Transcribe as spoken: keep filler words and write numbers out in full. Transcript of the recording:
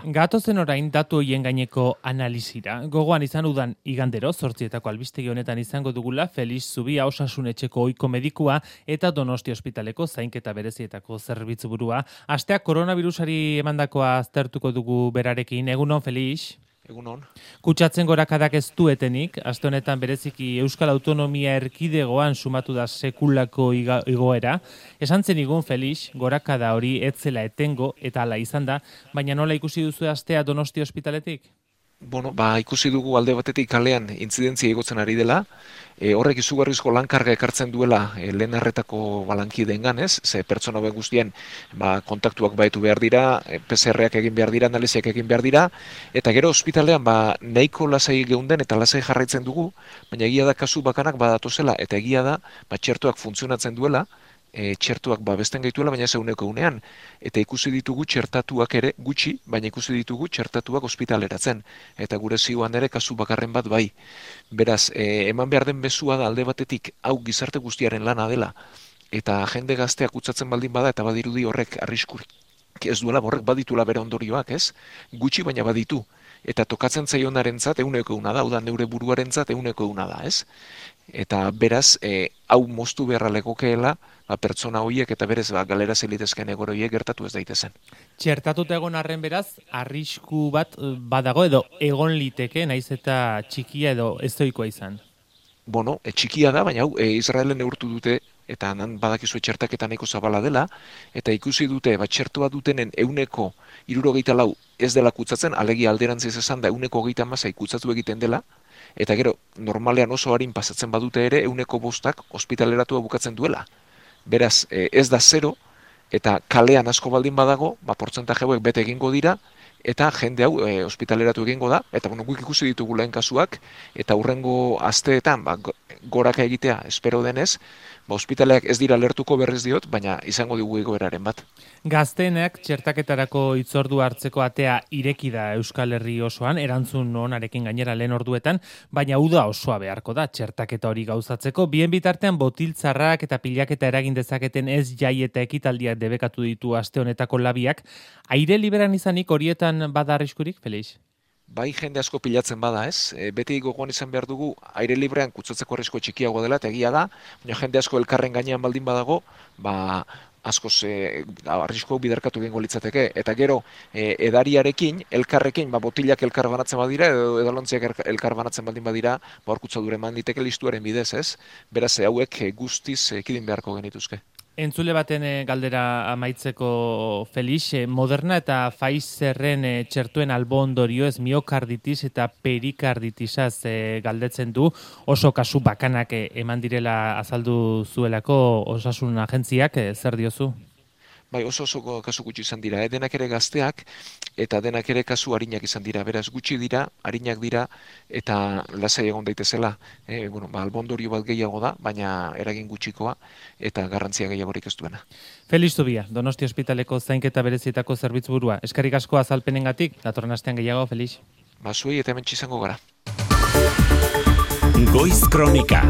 Gatozen orain datu hoien gaineko analizira. Gogoan izan udan igandero, zortzietako albistegi honetan izango dugula Felix Zubia osasun etxeko ohiko medikua eta Donosti ospitaleko zainketa berezietako zerbitzuburua. Asteak koronavirusari emandakoa aztertuko dugu berarekin. Egunon, Felix? Egunon. Kutsatzen gorakadak ez duetenik, aste honetan bereziki Euskal Autonomia Erkidegoan sumatu da sekulako igoera. Esan zen igun, Felix, gorakada hori etzela etengo eta hala izan da, baina nola ikusi duzu astea Donosti ospitaletik? Bueno, ba, ikusi dugu alde batetik kalean intzidentzia igotzen ari dela, e, horrek izugarrizko lankarga ekartzen duela e, lehen arretako balankideengan, ez? Ze pertsona ben guztien ba, kontaktuak baitu behar dira, e, P C R-ak egin behar dira, analiziak egin behar dira, eta gero ospitalean ba, nahiko lasai geunden eta lasai jarraitzen dugu, baina egia da kasu bakanak badatozela, eta egia da ba, txertuak funtzionatzen duela, E, txertuak babesten gaituela, baina ez eguneko unean. Eta ikusi ditugu txertatuak ere gutxi, baina ikusi ditugu txertatuak ospitaleratzen. Eta gure zioan ere kasu bakarren bat bai. Beraz, e, eman behar den bezua da alde batetik hau gizarte guztiaren lana dela. Eta jende gazteak kutsatzen baldin bada eta badirudi horrek arriskur. Ez duela horrek baditula bere ondorioak, ez? Gutxi baina baditu. Eta tokatzen zaionarentzat ehuneko ehuna da, hau da neure buruarentzat ehuneko ehuna da, ez? Eta beraz, e, hau moztu beharra legokeela, ba, pertsona horiek eta berez ba, galera zelitezken egoro horiek gertatu ez daitezen. Txertatuta egon arren beraz, arrisku bat badago edo egon liteke, naiz eta txikia edo ezoikoa izan? Bueno, e, txikia da, baina hau, e, Israelen neurtu dute, eta nan badakizu txertaketa nahiko zabala dela, eta ikusi dute, bat txertua dutenen euneko hirurogeita lau ez dela kutsatzen, alegia alderantziz esan da euneko hogeita hamasei kutsatu egiten dela, eta gero, normalean oso harin pasatzen badute ere, euneko bostak ospitaleratua bukatzen duela. Beraz, ez da zero, eta kalean asko baldin badago, ba, portzentaje hauek bete egingo dira, eta jende hau e, ospitaleratu egingo da, eta bueno, guk ikusi ditugu lehen kasuak, eta hurrengo asteetan, ba, goraka egitea espero denez, ba, ospitaleak ez dira lertuko berriz diot, baina izango dugu egoeraren bat. Gazteenak txertaketarako hitzordu hartzeko atea ireki da Euskal Herri osoan, erantzun onarekin gainera lehen orduetan, baina uda osoa beharko da txertaketa hori gauzatzeko. Bien bitartean botiltzarrak eta pilaketa eragin dezaketen ez jai eta ekitaldiak debekatu ditu aste honetako labiak. Aire liberan izanik horietan bada arriskurik, Felix? Bai, jende asko pilatzen bada, ez? E, beti gogoan izan behar dugu, aire librean kutsatzeko arrisko txikiago dela, eta egia da, baina jende asko elkarren gainean baldin badago, ba, askoz e, arrisko biderkatu egingo litzateke. Eta gero, e, edariarekin, elkarrekin, ba, botilak elkar banatzen badira, edo edalontziak elkar banatzen baldin badira, ba, hor kutsadura eman diteke listuaren bidez, ez? Beraz, hauek guztiz ekidin beharko genituzke. Entzule baten galdera amaitzeko, Felix, Moderna eta Pfizerren txertuen albo ondorioez miokarditis eta perikarditisaz galdetzen du, oso kasu bakanak eman direla azaldu zuelako osasun agentziak, zer diozu? Bai, oso oso kasu gutxi izan dira, eh? Denak ere gazteak eta denak ere kasu arinak izan dira, beraz gutxi dira, arinak dira eta lasai egon daitezela. Eh, bueno, ba, albondorio bat gehiago da, baina eragin gutxikoa eta garrantzia gehiagorik ez duena. Felix Zubia, Donosti ospitaleko zainketa berezietako zerbitzuburua. Eskerrik asko azalpenengatik, datorren astean gehiago, Felix. Ba, zuei eta hementsi izango gara. Goiz Kronika.